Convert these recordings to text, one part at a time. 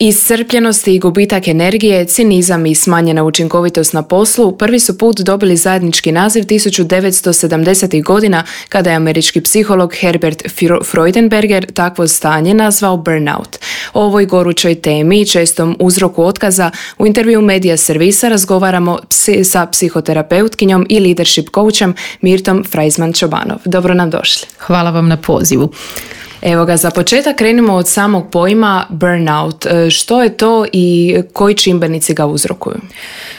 Iscrpljenost i gubitak energije, cinizam i smanjena učinkovitost na poslu prvi su put dobili zajednički naziv 1970. godina kada je američki psiholog Herbert Freudenberger takvo stanje nazvao burnout. O ovoj gorućoj temi i čestom uzroku otkaza u intervju Medija servisa razgovaramo sa psihoterapeutkinjom i leadership coachem Mirtom Freizman-Čobanov. Dobro nam došli. Hvala vam na pozivu. Evo ga, za početak krenimo od samog pojma burnout. Što je to i koji čimbenici ga uzrokuju?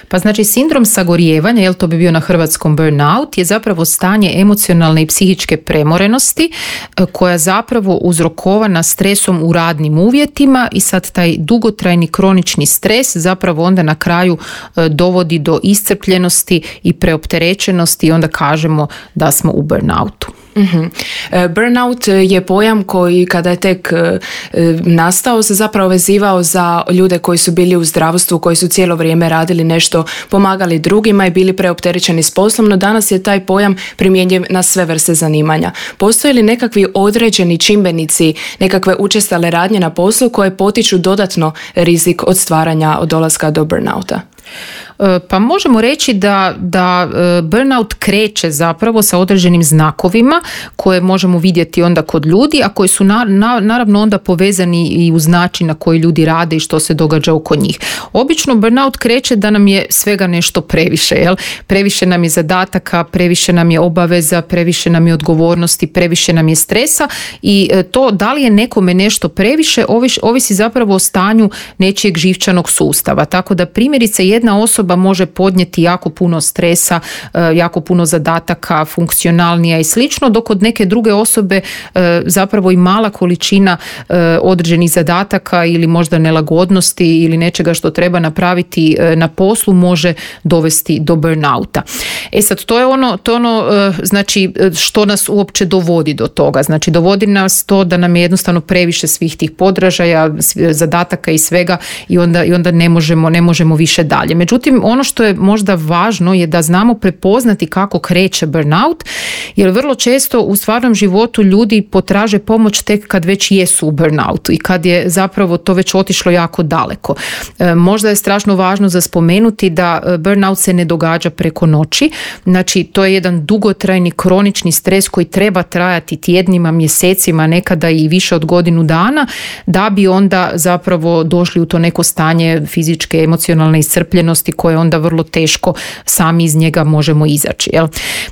Pa znači sindrom sagorijevanja, to bi bio na hrvatskom burnout, je zapravo stanje emocionalne i psihičke premorenosti koja zapravo uzrokovana stresom u radnim uvjetima i sad taj dugotrajni kronični stres zapravo onda na kraju dovodi do iscrpljenosti i preopterećenosti i onda kažemo da smo u burnoutu. Mm-hmm. Burnout je pojam koji kada je tek nastao se zapravo vezivao za ljude koji su bili u zdravstvu, koji su cijelo vrijeme radili nešto, pomagali drugima i bili preopterećeni s poslom, no danas je taj pojam primjenjiv na sve vrste zanimanja. Postoje li nekakvi određeni čimbenici, nekakve učestale radnje na poslu koje potiču dodatno rizik od stvaranja od dolaska do burnouta? Pa možemo reći da burnout kreće zapravo sa određenim znakovima koje možemo vidjeti onda kod ljudi, a koji su naravno onda povezani i uz način na koji ljudi rade i što se događa oko njih. Obično burnout kreće da nam je svega nešto previše, previše nam je zadataka, previše nam je obaveza, previše nam je odgovornosti, previše nam je stresa i to da li je nekome nešto previše ovisi zapravo o stanju nečijeg živčanog sustava. Tako da primjerice jedna osoba može podnijeti jako puno stresa, jako puno zadataka, funkcionalnija i slično, dok kod neke druge osobe zapravo i mala količina određenih zadataka ili možda nelagodnosti ili nečega što treba napraviti na poslu može dovesti do burnouta. Sad, to je ono znači što nas uopće dovodi do toga. Znači dovodi nas to da nam je jednostavno previše svih tih podražaja, zadataka i svega i onda ne možemo više dalje. Međutim, ono što je možda važno je da znamo prepoznati kako kreće burnout, jer vrlo često u stvarnom životu ljudi potraže pomoć tek kad već jesu u burnoutu i kad je zapravo to već otišlo jako daleko. Možda je strašno važno za spomenuti da burnout se ne događa preko noći, znači to je jedan dugotrajni kronični stres koji treba trajati tjednima, mjesecima, nekada i više od godinu dana, da bi onda zapravo došli u to neko stanje fizičke, emocionalne iscrpljenosti koje onda vrlo teško sami iz njega možemo izaći.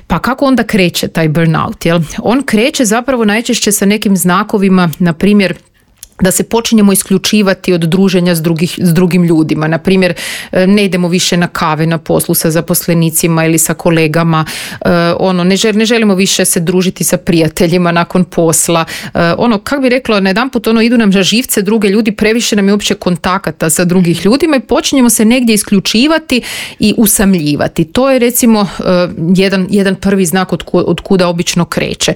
Pa kako onda kreće taj burnout? On kreće zapravo najčešće sa nekim znakovima, na primjer da se počinjemo isključivati od druženja s drugim ljudima. Na primjer, ne idemo više na kave na poslu sa zaposlenicima ili sa kolegama, ne želimo više se družiti sa prijateljima nakon posla. Kako bi rekla, najedanput idu nam na živce druge ljudi, previše nam je uopće kontakata sa drugih ljudima i počinjemo se negdje isključivati i usamljivati. To je recimo jedan prvi znak od kuda obično kreće.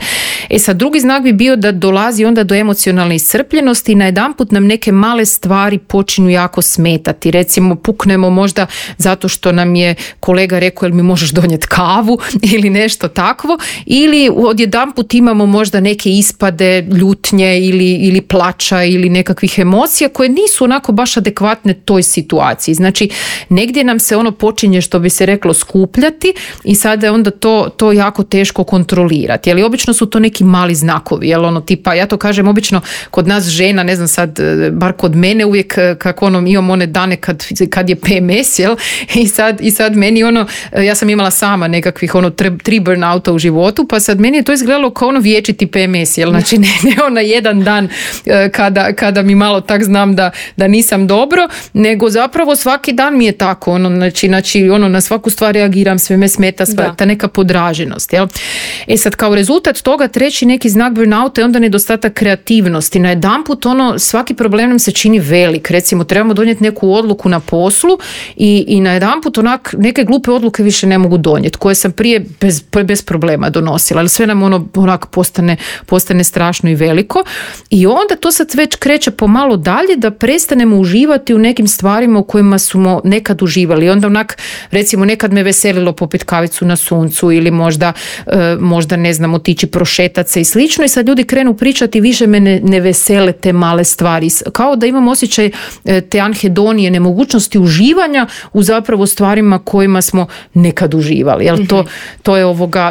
Sad, drugi znak bi bio da dolazi onda do emocionalne iscrpljenosti i najedanput nam neke male stvari počinju jako smetati. Recimo puknemo možda zato što nam je kolega rekao jel mi možeš donijeti kavu ili nešto takvo, ili odjedanput imamo možda neke ispade, ljutnje ili plača ili nekakvih emocija koje nisu onako baš adekvatne toj situaciji. Znači negdje nam se počinje, što bi se reklo, skupljati i sada je onda to jako teško kontrolirati. Obično su to neki mali znakovi, tipa, ja to kažem obično kod nas žena, ne znam sad, bar kod mene uvijek kako imam one dane kad je PMS, i sad meni ja sam imala sama nekakvih 3 burnouta u životu, pa sad meni je to izgledalo kao vječiti PMS, znači ne jedan dan kada mi malo tak znam da nisam dobro, nego zapravo svaki dan mi je tako, znači na svaku stvar reagiram, sve me smeta, ta neka podraženost. Sad kao rezultat toga treći neki znak burnouta je onda nedostatak kreativnosti. Najedanput svaki problem nam se čini velik. Recimo trebamo donijeti neku odluku na poslu i najedanput neke glupe odluke više ne mogu donijeti, koje sam prije bez problema donosila, ali sve nam postane strašno i veliko i onda to sad već kreće pomalo dalje da prestanemo uživati u nekim stvarima u kojima smo nekad uživali. I onda recimo nekad me veselilo popiti kavicu na suncu ili možda ne znam, otići prošetat se i slično i sad ljudi krenu pričati više me ne vesele te male stvari. Kao da imam osjećaj te anhedonije, nemogućnosti uživanja u zapravo stvarima kojima smo nekad uživali. Jel? To je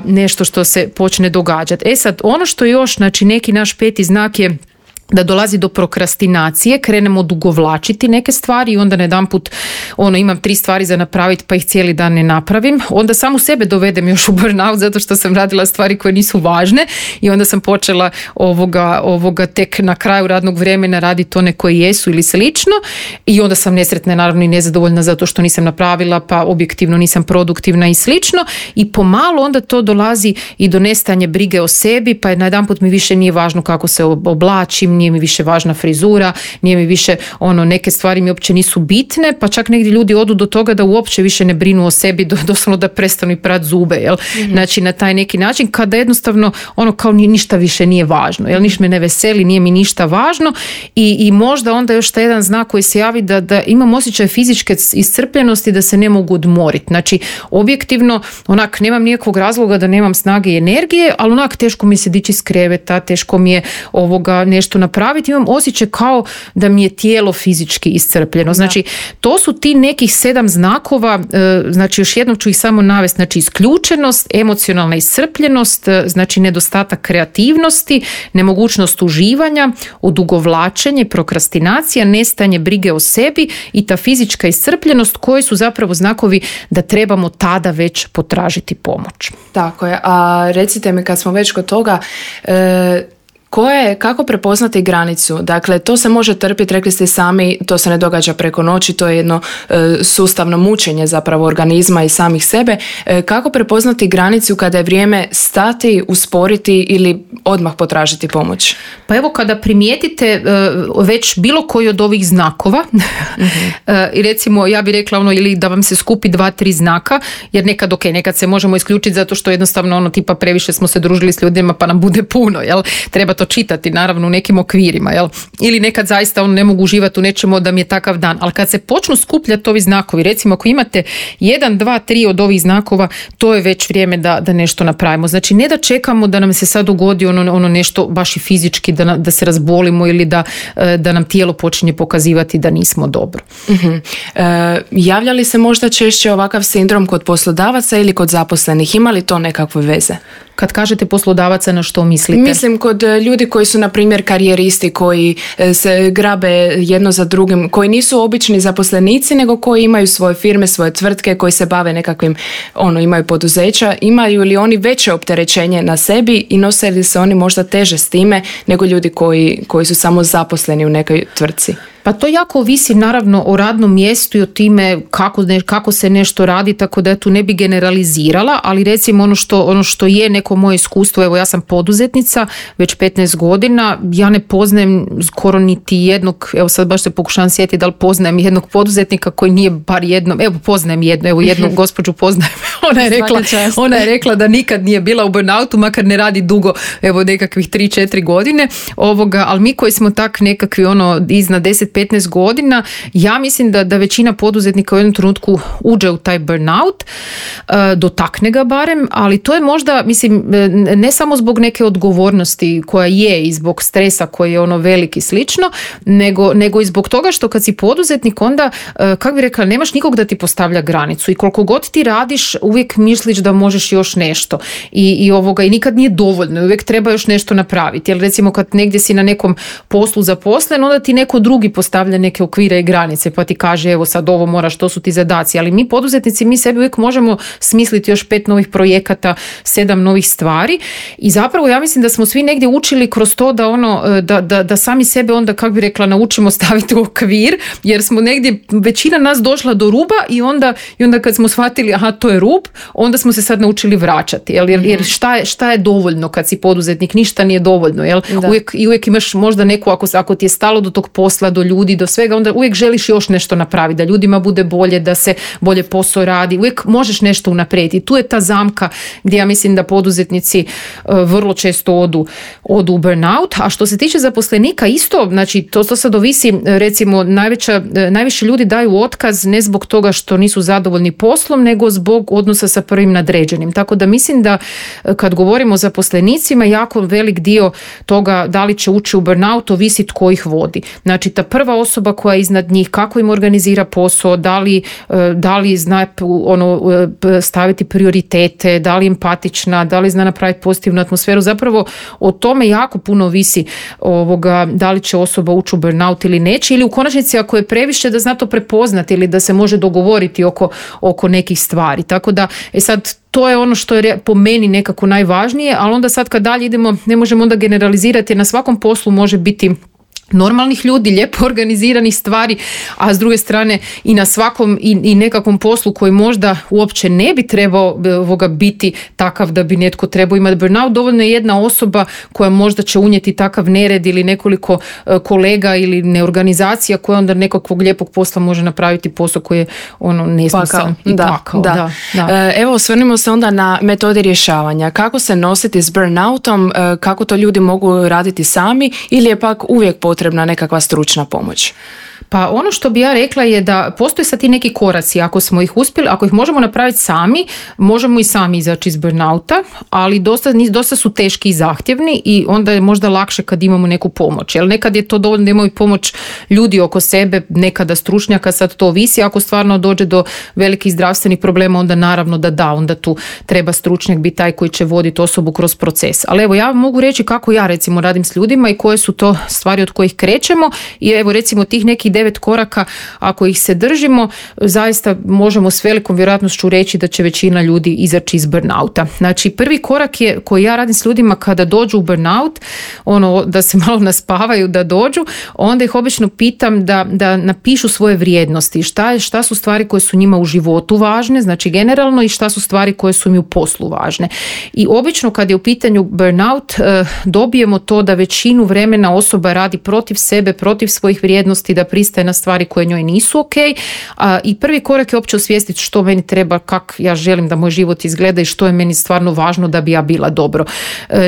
nešto što se počne događati. Sad, ono što još, znači neki naš peti znak je da dolazi do prokrastinacije, krenemo odugovlačiti neke stvari i onda najedanput imam 3 stvari za napraviti pa ih cijeli dan ne napravim. Onda samu sebe dovedem još u burnout zato što sam radila stvari koje nisu važne i onda sam počela tek na kraju radnog vremena raditi one koje jesu ili slično i onda sam nesretna naravno i nezadovoljna zato što nisam napravila pa objektivno nisam produktivna i slično i pomalo onda to dolazi i do nestajanja brige o sebi pa najedanput mi više nije važno kako se oblačim, nije mi više važna frizura, nije mi više neke stvari mi uopće nisu bitne, pa čak negdje ljudi odu do toga da uopće više ne brinu o sebi, doslovno da prestanu i prati zube, jel? Znači na taj neki način kada jednostavno kao ništa više nije važno, jel? Ništa me ne veseli, nije mi ništa važno i možda onda još taj jedan znak koji se javi da imam osjećaj fizičke iscrpljenosti da se ne mogu odmoriti. Znači objektivno nemam nikakvog razloga da nemam snage i energije, ali teško mi se dići iz kreveta, teško mi je nešto napraviti, imam osjećaj kao da mi je tijelo fizički iscrpljeno. Znači, to su ti nekih 7 znakova, znači još jednom ću ih samo navesti, znači isključenost, emocionalna iscrpljenost, znači nedostatak kreativnosti, nemogućnost uživanja, odugovlačenje, prokrastinacija, nestajanje brige o sebi i ta fizička iscrpljenost koji su zapravo znakovi da trebamo tada već potražiti pomoć. Tako je, a recite mi kad smo već kod toga, kako prepoznati granicu? Dakle, to se može trpiti, rekli ste sami, to se ne događa preko noći, to je jedno sustavno mučenje zapravo organizma i samih sebe. Kako prepoznati granicu kada je vrijeme stati, usporiti ili odmah potražiti pomoć? Pa evo kada primijetite već bilo koji od ovih znakova i recimo ja bih rekla ili da vam se skupi 2-3 znaka, jer nekad se možemo isključiti zato što jednostavno tipa previše smo se družili s ljudima pa nam bude puno, jel? Treba to čitati naravno u nekim okvirima, jel? Ili nekad zaista ne mogu uživati u nečemu da mi je takav dan, ali kad se počnu skupljati ovi znakovi, recimo ako imate 1, 2, 3 od ovih znakova, to je već vrijeme da nešto napravimo. Znači ne da čekamo da nam se sad dogodi nešto baš i fizički, da se razbolimo ili da nam tijelo počinje pokazivati da nismo dobro. Javlja li se možda češće ovakav sindrom kod poslodavaca ili kod zaposlenih? Ima li to nekakve veze? Kad kažete poslodavaca, na što mislite? Mislim kod ljudi koji su na primjer karijeristi, koji se grabe jedno za drugim, koji nisu obični zaposlenici, nego koji imaju svoje firme, svoje tvrtke, koji se bave nekakvim, imaju poduzeća, imaju li oni veće opterećenje na sebi i nose li se oni možda teže s time nego ljudi koji su samo zaposleni u nekoj tvrtci? Pa to jako ovisi naravno o radnom mjestu i o time kako se nešto radi, tako da ja tu ne bi generalizirala, ali recimo ono što je neko moje iskustvo, evo ja sam poduzetnica već 15 godina, ja ne poznajem skoro niti jednog, evo sad baš se pokušavam sjetiti da li poznajem jednog poduzetnika koji nije bar jednom, evo poznajem jednu gospođu poznajem, ona je rekla da nikad nije bila u burnoutu, makar ne radi dugo, evo nekakvih 3-4 godine, ali mi koji smo tak nekakvi iznad 10-15 godina, ja mislim da većina poduzetnika u jednom trenutku uđe u taj burnout, dotakne ga barem, ali to je možda, mislim, ne samo zbog neke odgovornosti koja je i zbog stresa koji je velik i slično, nego i zbog toga što kad si poduzetnik onda, kako bi rekla, nemaš nikog da ti postavlja granicu i koliko god ti radiš uvijek misliš da možeš još nešto i nikad nije dovoljno, uvijek treba još nešto napraviti, jer recimo kad negdje si na nekom poslu zaposlen, onda ti neko drugi postavlja neke okvire i granice pa ti kaže evo sad ovo moraš, to su ti zadaci, ali mi poduzetnici, mi sebi uvijek možemo smisliti još 5 novih projekata, 7 novih stvari i zapravo ja mislim da smo svi negdje učili kroz to da sami sebe onda, kako bi rekla, naučimo staviti u okvir, jer smo negdje, većina nas došla do ruba i onda kad smo shvatili aha to je rub, onda smo se sad naučili vraćati, jer šta je dovoljno kad si poduzetnik, ništa nije dovoljno, jel? Uvijek imaš možda neku, ako ti je stalo do tog posla, do ljudi, do svega, onda uvijek želiš još nešto napraviti, da ljudima bude bolje, da se bolje posao radi, uvijek možeš nešto unaprijediti. Tu je ta zamka gdje ja mislim da poduzetnici vrlo često odu u burnout. A što se tiče zaposlenika isto, znači to sad ovisi, recimo najviše ljudi daju otkaz ne zbog toga što nisu zadovoljni poslom, nego zbog odnosa sa prvim nadređenim. Tako da mislim da kad govorimo o zaposlenicima, jako velik dio toga da li će ući u burnout ovisi tko ih vodi. Znači ta prva osoba koja je iznad njih, kako im organizira posao, da li zna staviti prioritete, da li je empatična, da li zna napraviti pozitivnu atmosferu. Zapravo o tome jako puno ovisi da li će osoba ući u burnout ili neće, ili u konačnici ako je previše da zna to prepoznati ili da se može dogovoriti oko nekih stvari. Tako da sad to je ono što je po meni nekako najvažnije, ali onda sad kad dalje idemo ne možemo onda generalizirati, jer na svakom poslu može biti normalnih ljudi, lijepo organiziranih stvari, a s druge strane i na svakom i nekakvom poslu koji možda uopće ne bi trebao biti takav da bi netko trebao imati burnout. Dovoljno je jedna osoba koja možda će unijeti takav nered ili nekoliko kolega ili neorganizacija koja onda nekakvog lijepog posla može napraviti posao koji je nesmisan i pakao. Da. Evo, osvrnimo se onda na metode rješavanja. Kako se nositi s burnoutom, kako to ljudi mogu raditi sami ili je pak uvijek potrebna nekakva stručna pomoć? Pa ono što bi ja rekla je da postoje sad ti neki koraci, ako smo ih uspjeli, ako ih možemo napraviti sami, možemo i sami izaći iz burnouta, ali dosta su teški i zahtjevni i onda je možda lakše kad imamo neku pomoć. Jer nekad je to dovoljno da imaju pomoć ljudi oko sebe, nekada stručnjaka, sad to ovisi. Ako stvarno dođe do velikih zdravstvenih problema, onda naravno onda tu treba stručnjak biti taj koji će voditi osobu kroz proces. Ali evo, ja mogu reći kako ja recimo radim s ljudima i koje su to stvari od kojih krećemo i evo recimo tih nekih 9 koraka, ako ih se držimo, zaista možemo s velikom vjerojatnošću reći da će većina ljudi izaći iz burnouta. Znači, prvi korak je koji ja radim s ljudima kada dođu u burnout, da se malo naspavaju da dođu, onda ih obično pitam da napišu svoje vrijednosti, šta su stvari koje su njima u životu važne, znači generalno, i šta su stvari koje su mi u poslu važne. I obično kad je u pitanju burnout, dobijemo to da većinu vremena osoba radi protiv sebe, protiv svojih vrijednosti, da pristaje na stvari koje njoj nisu ok. I prvi korak je uopće osvijestiti što meni treba, kako ja želim da moj život izgleda i što je meni stvarno važno da bi ja bila dobro.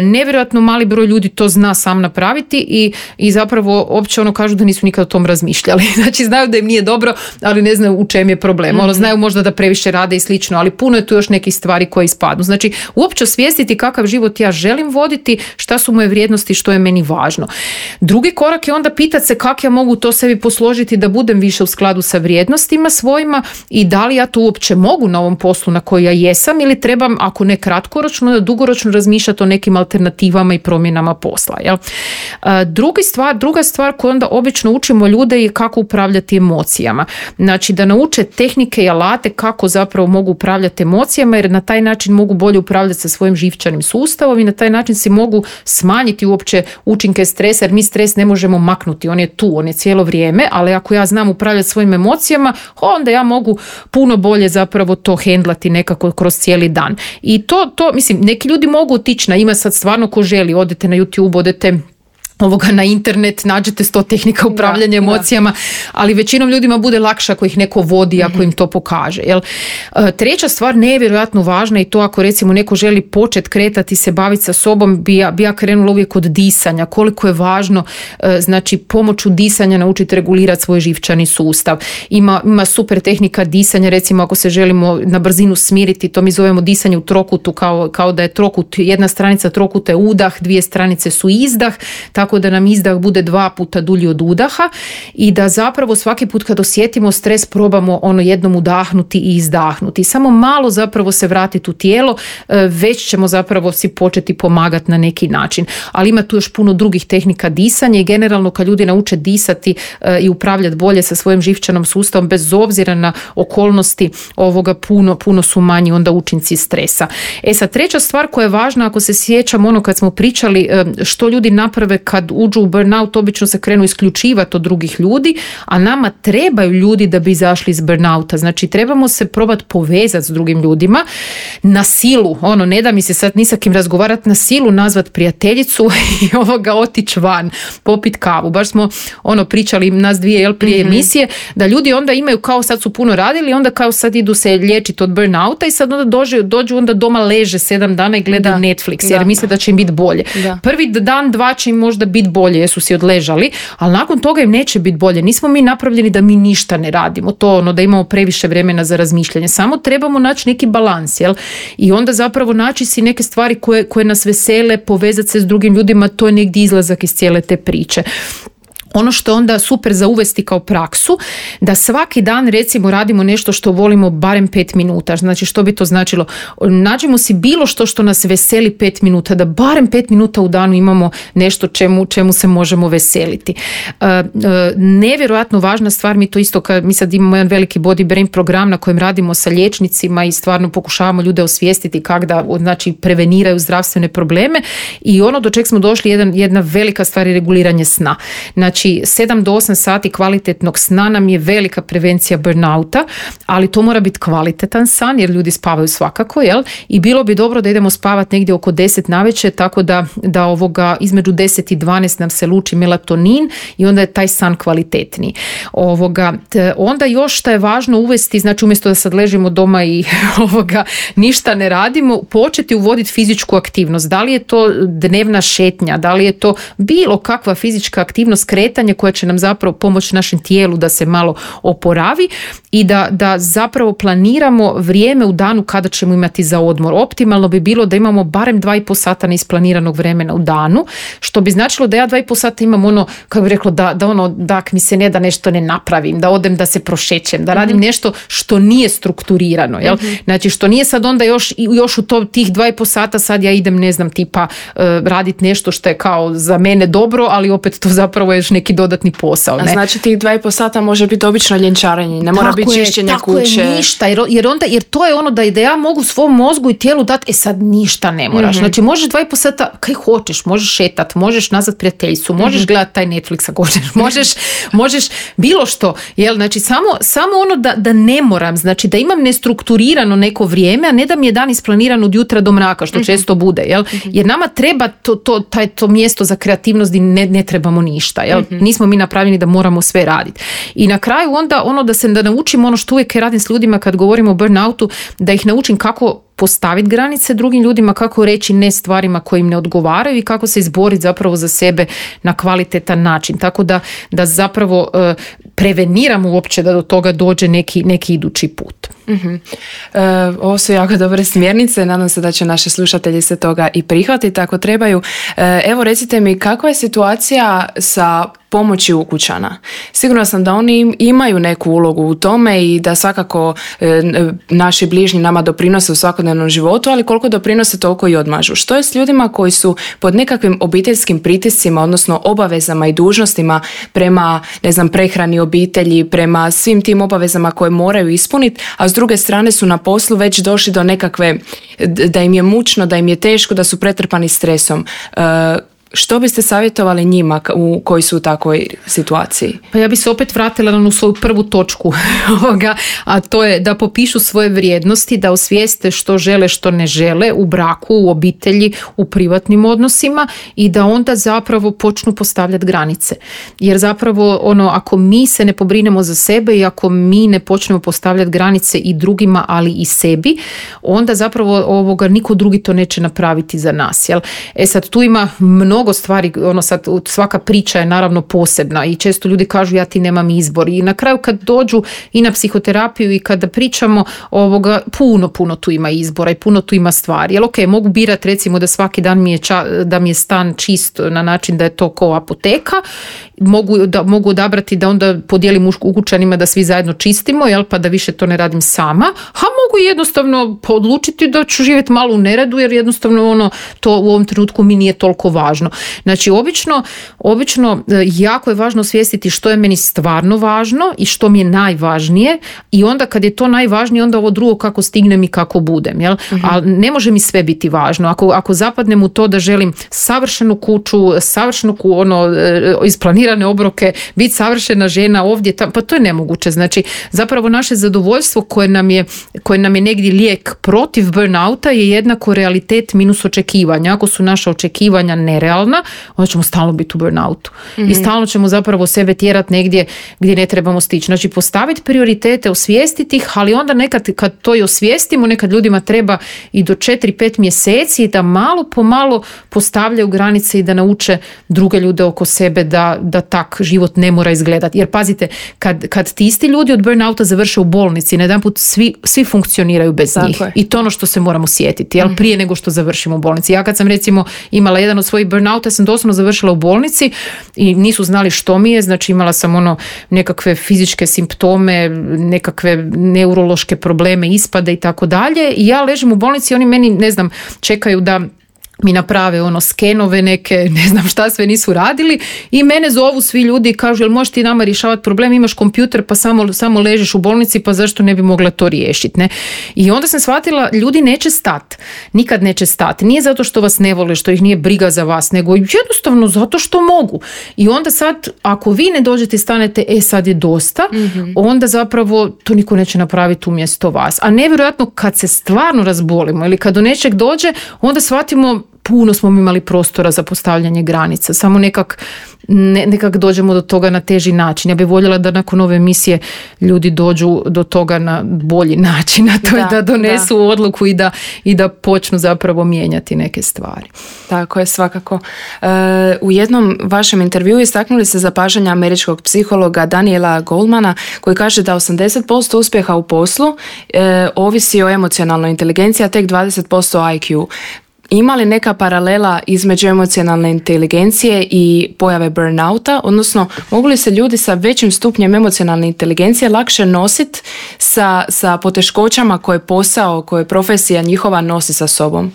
Nevjerojatno mali broj ljudi to zna sam napraviti i zapravo uopće kažu da nisu nikad o tom razmišljali. Znači znaju da im nije dobro, ali ne znaju u čem je problem. Znaju možda da previše rade i slično, ali puno je tu još nekih stvari koje ispadnu. Znači uopće osvijestiti kakav život ja želim voditi, šta su moje vrijednosti, što je meni važno. Drugi korak je onda pitati se kako ja mogu to sebi posložiti da budem više u skladu sa vrijednostima svojima i da li ja to uopće mogu na ovom poslu na koji ja jesam ili trebam, ako ne kratkoročno, da dugoročno razmišljati o nekim alternativama i promjenama posla. Jel? Druga stvar koju onda obično učimo ljude je kako upravljati emocijama. Znači da nauče tehnike i alate kako zapravo mogu upravljati emocijama, jer na taj način mogu bolje upravljati sa svojim živčanim sustavom i na taj način si mogu smanjiti uopće učinke stresa, jer mi stres ne možemo maknuti, on je tu, on je cijelo vrijeme, ali ako ja znam upravljati svojim emocijama, onda ja mogu puno bolje zapravo to hendlati nekako kroz cijeli dan. I to mislim, neki ljudi mogu otići ima sad stvarno ko želi, odete na YouTube, odete na internet, nađete 100 tehnika upravljanja emocijama, ali većinom ljudima bude lakše ako ih neko vodi, ako im to pokaže. Jel? Treća stvar, nevjerojatno važna, i to ako recimo neko želi početi kretati se, baviti sa sobom, bi ja krenula uvijek od disanja. Koliko je važno, znači pomoću disanja naučiti regulirati svoj živčani sustav. Ima super tehnika disanja, recimo ako se želimo na brzinu smiriti, to mi zovemo disanje u trokutu, kao da je trokut, jedna stranica trokuta je udah, 2 stranice su izdah, tako da nam izdah bude 2 puta dulji od udaha i da zapravo svaki put kad osjetimo stres probamo jednom udahnuti i izdahnuti. Samo malo zapravo se vratiti u tijelo, već ćemo zapravo si početi pomagati na neki način. Ali ima tu još puno drugih tehnika disanja i generalno kad ljudi nauče disati i upravljati bolje sa svojim živčanom sustavom bez obzira na okolnosti puno su manji onda učinci stresa. Sad treća stvar koja je važna, ako se sjećam kad smo pričali što ljudi naprave kad kad uđu u burnout obično se krenu isključivati od drugih ljudi, a nama trebaju ljudi da bi izašli iz burnouta. Znači trebamo se probati povezati s drugim ljudima na silu, ne da mi se sad ni sa kim razgovarati, na silu nazvat prijateljicu i otići van, popit kavu. Baš smo pričali nas dvije prije emisije, da ljudi onda imaju kao sad su puno radili, onda kao sad idu se liječiti od burnouta i sad onda dođu onda doma leže 7 dana i gledaju Netflix jer misle da će im biti bolje. Da. Prvi dan, 2 će im možda biti bolje jer su si odležali, ali nakon toga im neće biti bolje. Nismo mi napravljeni da mi ništa ne radimo, to da imamo previše vremena za razmišljanje. Samo trebamo naći neki balans, jel? I onda zapravo naći si neke stvari koje nas vesele, povezati se s drugim ljudima, to je negdje izlazak iz cijele te priče. Ono što je onda super za uvesti kao praksu, da svaki dan recimo radimo nešto što volimo barem 5 minuta. Znači što bi to značilo? Nađemo si bilo što nas veseli 5 minuta, da barem 5 minuta u danu imamo nešto čemu se možemo veseliti. Nevjerojatno važna stvar, mi to isto, mi sad imamo jedan veliki body brain program na kojem radimo sa liječnicima i stvarno pokušavamo ljude osvijestiti kako da preveniraju zdravstvene probleme i do čeg smo došli jedna velika stvar je reguliranje sna. Znači 7 do 8 sati kvalitetnog sna nam je velika prevencija burnouta, ali to mora biti kvalitetan san jer ljudi spavaju svakako, jel? I bilo bi dobro da idemo spavati negdje oko 10 navečer, tako da između 10 i 12 nam se luči melatonin i onda je taj san kvalitetniji. Onda još što je važno uvesti, znači umjesto da sad ležimo doma i ništa ne radimo, početi uvoditi fizičku aktivnost. Da li je to dnevna šetnja, da li je to bilo kakva fizička aktivnost, kretanje koja će nam zapravo pomoći našem tijelu da se malo oporavi i da zapravo planiramo vrijeme u danu kada ćemo imati za odmor. Optimalno bi bilo da imamo barem 2,5 sata neisplaniranog vremena u danu, što bi značilo da ja 2,5 sata imam kako bi reklo, da mi se ne da nešto ne napravim, da odem da se prošećem, da radim nešto što nije strukturirano. Jel? Znači što nije sad onda još u tih 2,5 sata sad ja idem raditi nešto što je kao za mene dobro, ali opet to zapravo je neki dodatni posao. Ne? A znači tih 2,5 sata može biti obično ljenčarenje, ne mora biti čišćenja kuće. Tako je, ništa, jer to je da ja mogu svom mozgu i tijelu dati, sad ništa ne moraš. Znači možeš 2,5 sata kaj hoćeš, možeš šetat, možeš nazvat prijateljicu, možeš gledati taj Netflix ako hoćeš, možeš bilo što. Jel? Znači samo da ne moram, znači da imam nestrukturirano neko vrijeme, a ne da mi je dan isplaniran od jutra do mraka, što često bude. Jel? Jer nama treba to mjesto za kreativnost i ne trebamo ništa. Jel? Nismo mi napravljeni da moramo sve raditi. I na kraju onda da naučim što uvijek radim s ljudima kad govorimo o burnoutu, da ih naučim kako postaviti granice drugim ljudima, kako reći ne stvarima koje im ne odgovaraju i kako se izboriti zapravo za sebe na kvalitetan način. Tako da zapravo preveniramo uopće da do toga dođe neki idući put. Ovo su jako dobre smjernice, nadam se da će naši slušatelji se toga i prihvatiti ako trebaju. Evo recite mi, kakva je situacija sa pomoći ukućana? Sigurna sam da oni imaju neku ulogu u tome i da svakako naši bližnji nama doprinose u svakodnevnom životu, ali koliko doprinose toliko i odmažu. Što je s ljudima koji su pod nekakvim obiteljskim pritiscima, odnosno obavezama i dužnostima prema, prehrani obitelji, prema svim tim obavezama koje moraju ispuniti, a s druge strane su na poslu već došli do nekakve, da im je mučno, da im je teško, da su pretrpani stresom. Što biste savjetovali njima koji su u takvoj situaciji? Pa ja bi se opet vratila na svoju prvu točku a to je da popišu svoje vrijednosti, da osvijeste što žele, što ne žele u braku, u obitelji, u privatnim odnosima i da onda zapravo počnu postavljati granice. Jer zapravo ako mi se ne pobrinemo za sebe i ako mi ne počnemo postavljati granice i drugima, ali i sebi, onda zapravo niko drugi to neće napraviti za nas. Jel? Sad tu ima mnogo stvari, sad svaka priča je naravno posebna i često ljudi kažu ja ti nemam izbor i na kraju kad dođu i na psihoterapiju i kada pričamo puno tu ima izbora i puno tu ima stvari. Jel mogu birati recimo da svaki dan da mi je stan čist na način da je to ko apoteka, mogu odabrati da onda podijelim ukućanima da svi zajedno čistimo, jel, pa da više to ne radim sama, a mogu jednostavno odlučiti da ću živjeti malo u neredu jer jednostavno to u ovom trenutku mi nije toliko važno. važno. Znači, obično jako je važno osvijestiti što je meni stvarno važno i što mi je najvažnije i onda kad je to najvažnije, onda ovo drugo kako stignem i kako budem. Jel? Ali ne može mi sve biti važno. Ako zapadnem u to da želim savršenu kuću, savršenu isplanirane obroke, biti savršena žena ovdje, pa to je nemoguće. Znači, zapravo naše zadovoljstvo koje nam je negdje lijek protiv burnouta je jednako realitet minus očekivanja. Ako su naša očekivanja nerealna, onda ćemo stalno biti u burnoutu. I stalno ćemo zapravo sebe tjerati negdje gdje ne trebamo stići. Znači, postaviti prioritete, osvijestiti ih, ali onda nekad kad to i osvijestimo, nekad ljudima treba i do 4-5 mjeseci da malo po malo postavljaju granice i da nauče druge ljude oko sebe da tak život ne mora izgledati. Jer pazite, kad ti isti ljudi od burnouta završe u bolnici, na jedan put svi funkcioniraju bez njih. I to ono što se moramo sjetiti, jel? Prije nego što završimo u bolnici. Ja kad sam recimo imala jedan od svojih burnouta, sam doslovno završila u bolnici i nisu znali što mi je, znači imala sam nekakve fizičke simptome, nekakve neurološke probleme, ispade i tako dalje. I ja ležim u bolnici i oni meni, ne znam, čekaju da mi naprave skenove neke, ne znam šta sve nisu radili i mene zovu svi ljudi i kažu, jel možeš ti nama rješavati problem, imaš kompjuter pa samo ležiš u bolnici, pa zašto ne bi mogla to riješiti, ne? I onda sam shvatila, ljudi neće stati, nikad neće stati, nije zato što vas ne vole, što ih nije briga za vas, nego jednostavno zato što mogu. I onda sad, ako vi ne dođete i stanete, sad je dosta, onda zapravo to niko neće napraviti umjesto vas. A nevjerojatno kad se stvarno razbolimo ili kad do nečeg dođe, onda shvatimo puno smo imali prostora za postavljanje granica, samo nekak dođemo do toga na teži način. Ja bih voljela da nakon ove emisije ljudi dođu do toga na bolji način, a to je da donesu odluku i da počnu zapravo mijenjati neke stvari. Tako je, svakako. U jednom vašem intervjuu istaknuli se zapažanja američkog psihologa Daniela Goldmana koji kaže da 80% uspjeha u poslu ovisi o emocionalnoj inteligenciji, a tek 20% IQ. Ima li neka paralela između emocionalne inteligencije i pojave burnouta, odnosno mogu li se ljudi sa većim stupnjem emocionalne inteligencije lakše nositi sa poteškoćama koje profesija njihova nosi sa sobom?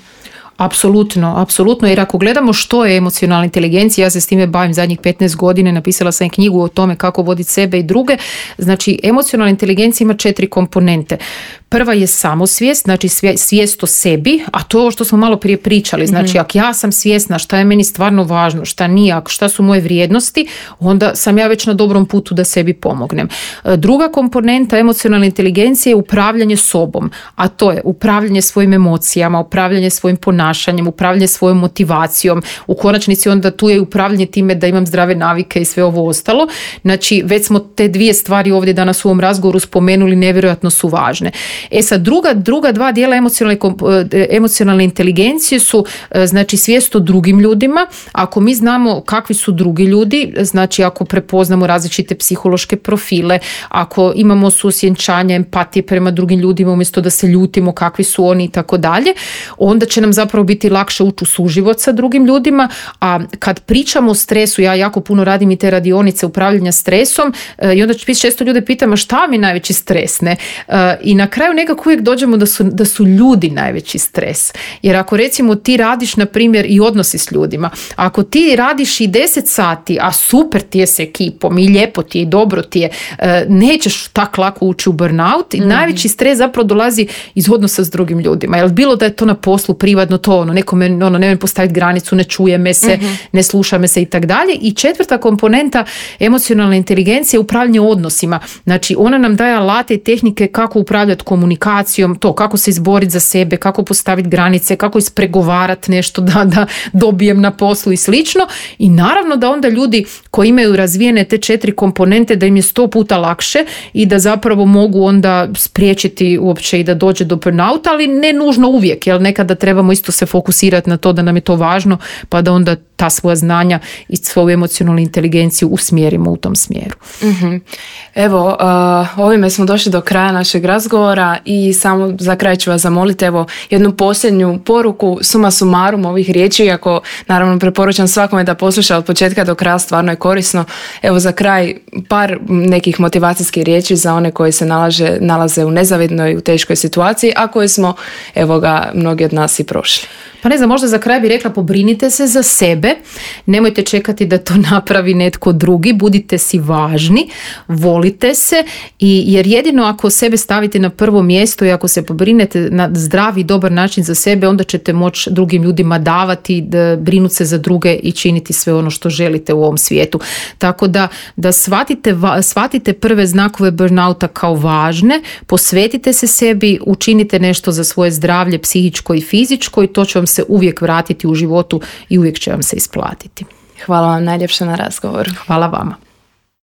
Apsolutno, jer ako gledamo što je emocionalna inteligencija, ja se s time bavim zadnjih 15 godina, napisala sam knjigu o tome kako voditi sebe i druge. Znači, emocionalna inteligencija ima 4 komponente. Prva je samosvijest, znači svijest o sebi, a to je ovo što smo malo prije pričali. Znači, ako ja sam svjesna šta je meni stvarno važno, šta nije, šta su moje vrijednosti, onda sam ja već na dobrom putu da sebi pomognem. Druga komponenta emocionalne inteligencije je upravljanje sobom, a to je upravljanje svojim emocijama, upravljanje svojim ponašanjem, upravljanje svojom motivacijom. U konačnici onda tu je upravljanje time da imam zdrave navike i sve ovo ostalo. Znači, već smo te 2 stvari ovdje danas u ovom razgovoru spomenuli, nevjerojatno su važne. Sad, druga 2 dijela emocionalne inteligencije su, znači, svijest o drugim ljudima. Ako mi znamo kakvi su drugi ljudi, znači ako prepoznamo različite psihološke profile, ako imamo suosjećanje, empatije prema drugim ljudima umjesto da se ljutimo kakvi su oni i tako dalje, onda će nam zapravo biti lakše ući u suživot sa drugim ljudima. A kad pričamo o stresu, ja jako puno radim i te radionice upravljanja stresom i onda često ljude pitam, a šta mi najveći stres, ne? I na kraju nekako uvijek dođemo da su ljudi najveći stres. Jer ako recimo ti radiš, na primjer, i odnosi s ljudima, ako ti radiš i 10 sati, a super ti je s ekipom i lijepo ti je i dobro ti je, nećeš tak lako ući u burnout i najveći stres zapravo dolazi iz odnosa s drugim ljudima. Jel bilo da je to na poslu, privatno, to nekome ne postaviti granicu, ne čuje me se, ne sluša me se i tak dalje. I 4. komponenta emocionalne inteligencije je upravljanje odnosima. Znači, ona nam daje alate i tehnike kako upravljati komunikacijom, to kako se izboriti za sebe, kako postaviti granice, kako ispregovarati nešto da dobijem na poslu i slično. I naravno da onda ljudi koji imaju razvijene te 4 komponente, da im je 100 puta lakše i da zapravo mogu onda spriječiti uopće i da dođe do burnouta, ali ne nužno uvijek, jer nekada trebamo isto se fokusirati na to da nam je to važno, pa da onda ta svoja znanja i svoju emocionalnu inteligenciju usmjerimo u tom smjeru. Evo, ovime smo došli do kraja našeg razgovora i samo za kraj ću vas zamoliti jednu posljednju poruku, suma sumarum ovih riječi, iako naravno preporučam svakome da posluša od početka do kraja, stvarno je korisno. Evo, za kraj par nekih motivacijskih riječi za one koji se nalaze u nezavidnoj, u teškoj situaciji, a koje smo, mnogi od nas i prošli. Pa ne znam, možda za kraj bih rekla, pobrinite se za sebe sebe. Nemojte čekati da to napravi netko drugi. Budite si važni, volite se jer jedino ako sebe stavite na prvo mjesto i ako se pobrinete na zdravi i dobar način za sebe, onda ćete moći drugim ljudima davati, brinuti se za druge i činiti sve ono što želite u ovom svijetu. Tako da shvatite prve znakove burnouta kao važne, posvetite se sebi, učinite nešto za svoje zdravlje psihičko i fizičko i to će vam se uvijek vratiti u životu i uvijek će vam se isplatiti. Hvala vam najljepše na razgovoru. Hvala vama.